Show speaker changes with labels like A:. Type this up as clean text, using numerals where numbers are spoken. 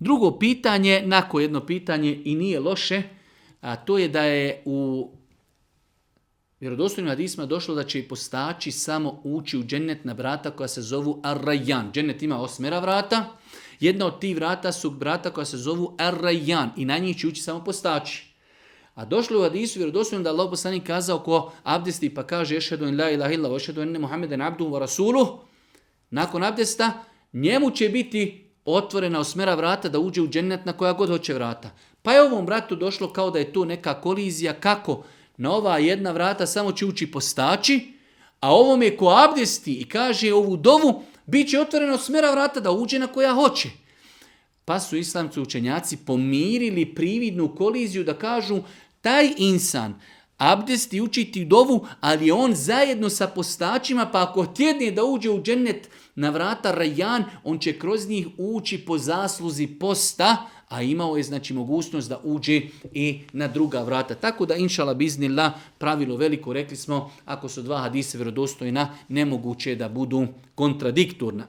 A: Drugo pitanje, nakon jedno pitanje i nije loše, a to je da je u vjerodostojnim hadisima došlo da će i postači samo ući u džennet na vrata koja se zovu Ar-Rayyan. Džennet ima 8 vrata. Jedna od tih vrata su vrata koja se zovu Ar-Rayyan i na njih će ući samo postači. A došlo u hadisu vjerodostojno da Allah poslanik kazao ko abdesti pa kaže ešhedu en la ilaha illa wa ešhedu enne Muhammeden abduhu wa rasuluh, nakon abdesta njemu će biti otvorena 8 vrata da uđe u džennet na koja god hoće vrata. Pa je ovom vratu došlo kao da je to neka kolizija kako na ova jedna vrata samo će ući postači, a ovom je ko abdesti i kaže ovu dovu, bit će otvoreno 8 vrata da uđe na koja hoće. Pa su islamski učenjaci pomirili prividnu koliziju da kažu taj insan abdesti učiti dovu, ali on zajedno sa postačima, pa ako tjedne da uđe u džennet na vrata Rayyan, on će kroz njih ući po zasluzi posta, a imao je znači mogućnost da uđe i na druga vrata. Tako da inšala biznillah, pravilo veliko, rekli smo, ako su dva hadise vjerodostojna, nemoguće je da budu kontradiktorna.